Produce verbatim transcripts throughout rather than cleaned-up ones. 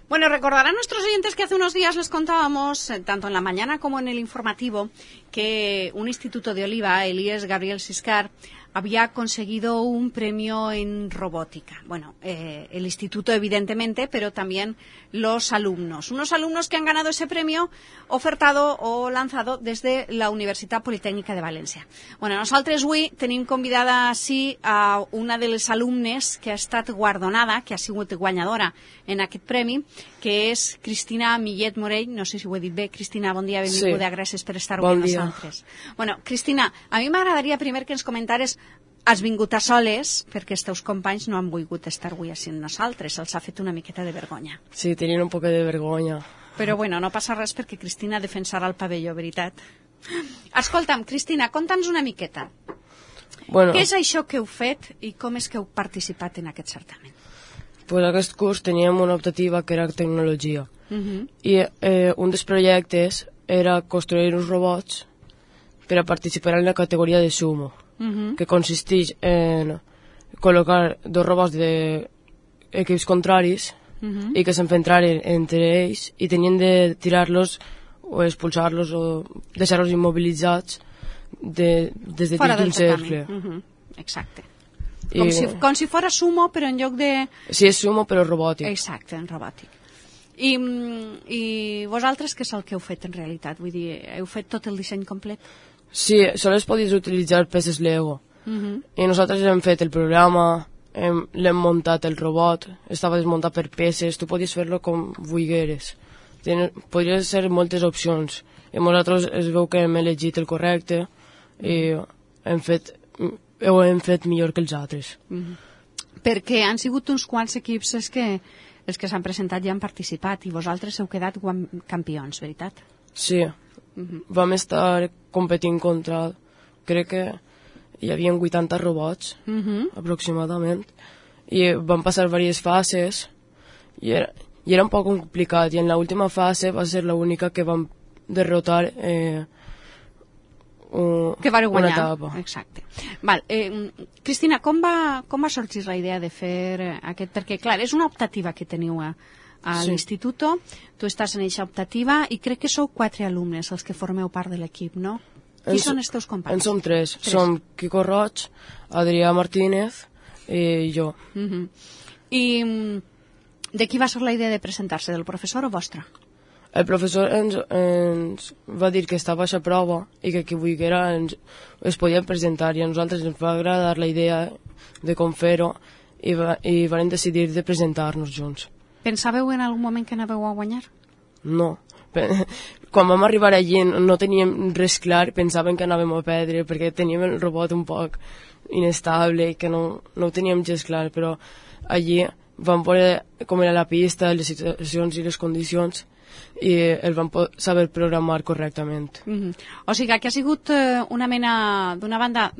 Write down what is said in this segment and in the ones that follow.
Bueno, recordarán nuestros oyentes que hace unos días les contábamos, eh, tanto en la mañana como en el informativo, que un instituto de Oliva, el I E S Gabriel Siscar, había conseguido un premio en robótica. Bueno, eh, el instituto evidentemente, pero también los alumnos. Unos alumnos que han ganado ese premio ofertado o lanzado desde la Universitat Politécnica de València. Bueno, nosaltres avui tenim convidada així a una de les alumnes que ha estat guardonada, que ha sigut guanyadora en aquest premi, que és Cristina Millet Morell. No sé si ho he dit bé. Cristina, bon dia, benvinguda, sí. Gràcies per estar avui amb nosaltres. Bueno, Cristina, a mi m'agradaria primer que ens comentares. Has vingut a soles perquè els teus companys no han volgut estar avui així amb nosaltres. Els ha fet una miqueta de vergonya. Sí, tenien un poc de vergonya. Però bueno, no passa res perquè Cristina defensarà el pavelló, veritat? Escolta'm, Cristina, conta'ns una miqueta. Bueno, Què és això que heu fet i com és que heu participat en aquest certamen? Pues aquest curs teníem una optativa que era tecnologia. Uh -huh. I eh, un dels projectes era construir uns robots per a participar en la categoria de sumo. Uh -huh. Que consisteix en col·locar dos robots d'equips contraris uh -huh. i que s'enfrontaren entre ells i tenien de tirar-los o expulsar-los o deixar-los immobilitzats de, des de dins d'un cercle. Uh -huh. Exacte. Com, I, si, com si fora sumo, però en lloc de... Sí, és sumo, però robòtic. Exacte, en robòtic. I, I vosaltres què és el que heu fet en realitat? Vull dir, heu fet tot el disseny complet? Sí, sols podies utilitzar peces Lego. Uh -huh. I nosaltres hem fet el programa, hem, l'hem muntat el robot, estava desmuntat per peces, tu podies fer-lo com vulgueres. Ten, podries ser moltes opcions. I nosaltres es veu que hem elegit el correcte i hem fet, ho hem fet millor que els altres. Uh -huh. Perquè han sigut uns quants equips els que, els que s'han presentat i han participat i vosaltres heu quedat campions, veritat? Sí. Uh-huh. Vam estar competint contra, crec que hi havia vuitanta robots, uh-huh. aproximadament, i van passar diverses fases i era, i era un poc complicat, i en l'última fase va ser l'única que vam derrotar eh, un, que vareu guanyar. Una etapa. Exacte. Val, eh, Cristina, com va, com va sorgir la idea de fer aquest? Perquè, clar, és una optativa que teniu a a sí. l'institut, tu estàs en aquesta optativa i crec que sou quatre alumnes els que formeu part de l'equip, no? Qui en són els teus companys? En som tres. tres. Som Quico Roig, Adrià Martínez i jo. Uh -huh. I de qui va ser la idea de presentar-se, del professor o vostra? El professor ens, ens va dir que estava a la prova i que qui volguera ens, es podien presentar, i a nosaltres ens va agradar la idea de com fer-ho i, va, i vam decidir de presentar-nos junts. Pensàveu en algun moment que anàveu a guanyar? No. Quan vam arribar allí no teníem res clar, pensàvem que anàvem a perdre perquè teníem el robot un poc inestable i que no, no ho teníem gens clar, però allí vam veure com era la pista, les situacions i les condicions i el vam saber programar correctament. Mm-hmm. O sigui que ha sigut una mena, d'una banda,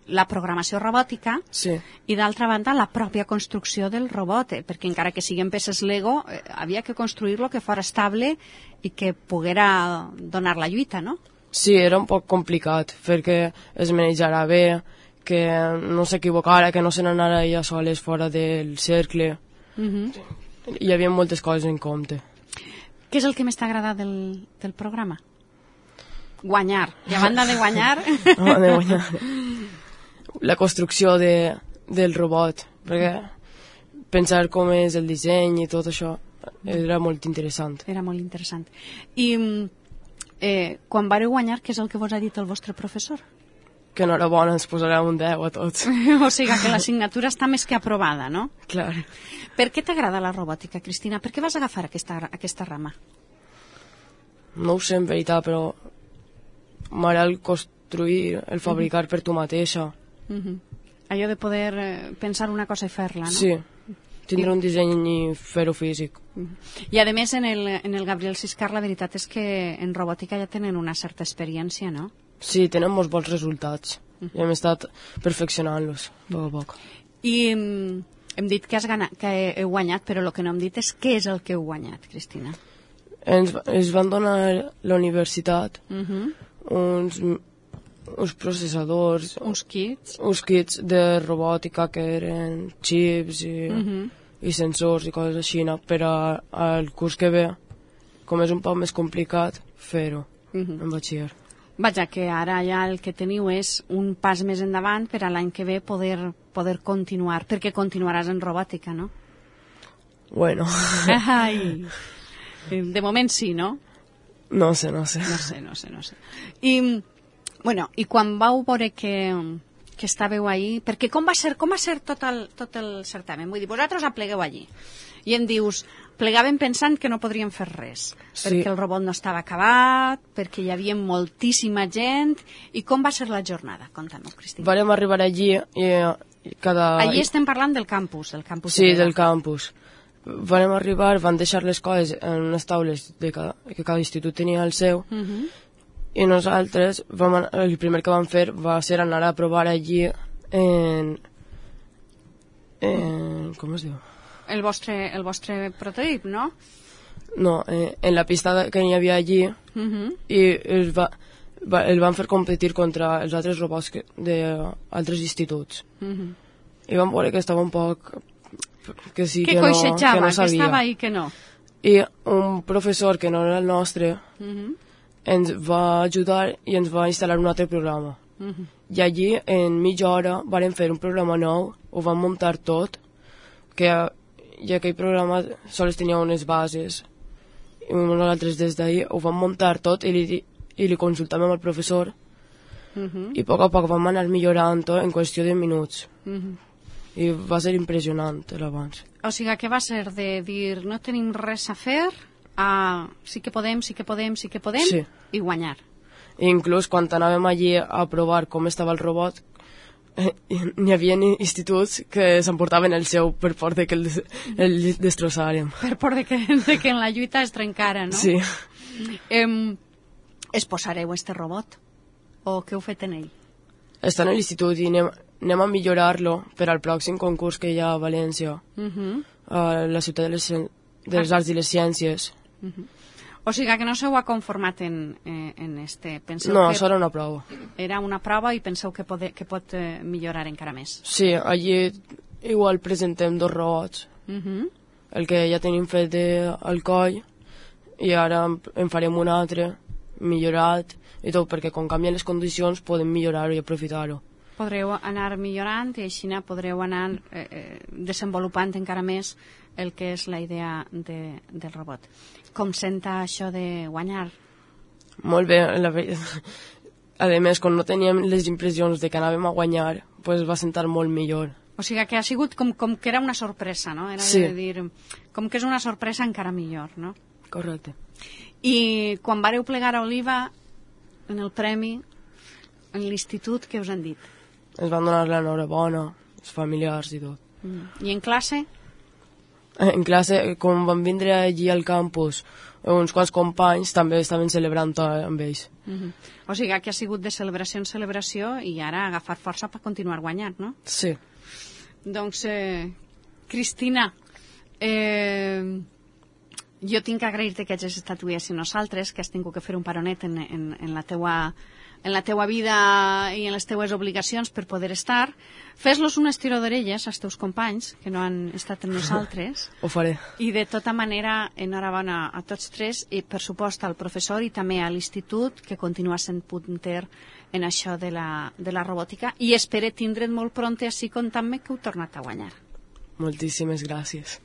la programació robòtica, sí. I d'altra banda la pròpia construcció del robot, eh? Perquè encara que siguin peces Lego, eh, havia que construir-lo que fos estable i que poguera donar la lluita, no? Sí, era un poc complicat, perquè es manejara bé, que no s'equivocara, que no se n'anara ella soles fora del cercle. Mm-hmm. Hi havia moltes coses en compte. Què és el que més t'ha agradat del, del programa? Guanyar. I a banda de guanyar... a banda de guanyar... la construcció de, del robot, perquè pensar com és el disseny i tot això era molt interessant. Era molt interessant. I eh, quan vareu guanyar, què és el que vos ha dit el vostre professor? Que enhorabona, ens posarà un deu a tots. O sigui que l'assignatura està més que aprovada, no? Clar. Per què t'agrada la robòtica, Cristina? Per què vas agafar aquesta, aquesta rama? No ho sé en veritat, però m'agrada el construir, el fabricar uh-huh. per tu mateixa. Uh-huh. Allò de poder eh, pensar una cosa i fer-la, no? Sí, tindre I... un disseny i fer-ho físic. Uh-huh. I a més en el, en el Gabriel Siscar la veritat és que en robòtica ja tenen una certa experiència, no? Sí, tenen molts bons resultats uh-huh. i hem estat perfeccionant-los a poc a poc. I um, hem dit que, has ganat, que heu guanyat, però el que no hem dit és què és el que heu guanyat, Cristina? Ens, ens van donar la universitat uh-huh. uns... uns processadors, uns kits uns kits de robòtica que eren xips i, uh-huh. i sensors i coses així, no? Però al curs que ve, com és un poc més complicat, fer-ho uh-huh. en batxiller. Vaja, que ara ja el que teniu és un pas més endavant per a l'any que ve poder, poder continuar, perquè continuaràs en robòtica, no? Bueno. Ai, de moment sí, no? No sé, no sé. No sé, no sé, no sé. I, bueno, i quan vau veure que, que estàveu ahí, perquè com va ser, com va ser tot el, tot el certamen? Vull dir, vosaltres aplegueu allí i em dius, plegàvem pensant que no podríem fer res, sí. perquè el robot no estava acabat, perquè hi havia moltíssima gent, i com va ser la jornada? Conta-m'ho, Cristina. Vàrem arribar allí i cada... Allí estem parlant del campus, del campus. Sí, de del campus. Vàrem arribar, van deixar les coses en unes taules de cada, que cada institut tenia el seu, uh-huh. i nosaltres, vam, el primer que vam fer va ser anar a provar allí en... en com es diu? El vostre, el vostre prototip, no? No, eh, en la pista que hi havia allí, uh-huh. i el, va, va, el van fer competir contra els altres robots d'altres instituts. Uh-huh. I vam veure que estava un poc... que sí, que, que, no, que no sabia. Que estava ahí, que no. I un professor que no era el nostre uh-huh. ens va ajudar i ens va instal·lar un altre programa. Uh-huh. I allí, en mitja hora, vàrem fer un programa nou, ho vam muntar tot, que i aquell programa sols tenia unes bases, i nosaltres des d'ahir ho vam muntar tot i li, i li consultàvem al professor, uh-huh. i a poc a poc vam anar millorant en qüestió de minuts. Uh-huh. I va ser impressionant l'abans. O sigui, que va ser de dir no tenim res a fer a sí que podem, sí que podem, sí que podem, sí. i guanyar. I inclús quan anàvem allí a provar com estava el robot, eh, n'hi havia instituts que s'emportaven el seu per por de que el, el destrossàrem. Per por de que, de que en la lluita es trencara, no? Sí. Eh, es posareu este robot? O què heu fet en ell? Està en l'institut i anem... anem a millorar-lo per al pròxim concurs que hi ha a València, uh-huh. a la ciutat de les, de les arts i les ciències. Uh-huh. O sigui que no s'heu conformat en, eh, en este... Penseu no, que això era una prova. Era una prova i penseu que, pode, que pot eh, millorar encara més. Sí, allí igual presentem dos robots, uh-huh. el que ja tenim fet de, al coll, i ara en farem un altre, millorat, i tot, perquè quan canvien les condicions podem millorar-ho i aprofitar-ho. Podreu anar millorant i així podreu anar eh, eh, desenvolupant encara més el que és la idea de, del robot. Com senta això de guanyar? Molt bé. La... A més, quan no teníem les impressions de que anàvem a guanyar, pues va sentar molt millor. O sigui que ha sigut com, com que era una sorpresa, no? Era sí. de dir, com que és una sorpresa encara millor, no? Correcte. I quan vareu plegar a Oliva, en el premi, en l'institut, què us han dit? Ens van donar l'enhorabona, els familiars i tot. Mm. I en classe? En classe, com van vindre allí al campus, uns quants companys també estaven celebrant amb ells. Mm-hmm. O sigui que ha sigut de celebració en celebració i ara agafar força per continuar guanyant, no? Sí. Doncs, eh, Cristina, eh, jo tinc que agrair-te que hagis estat avui així nosaltres, que has tingut que fer un paronet en, en, en la teua... en la teua vida i en les teues obligacions per poder estar. Fes-los un estiró d'orelles als teus companys, que no han estat amb nosaltres. Ho faré. I de tota manera, enhorabona a tots tres, i per supost al professor i també a l'institut, que continua sent punter en això de la, de la robòtica, i espero tindre't molt pront així contant-me que heu tornat a guanyar. Moltíssimes gràcies.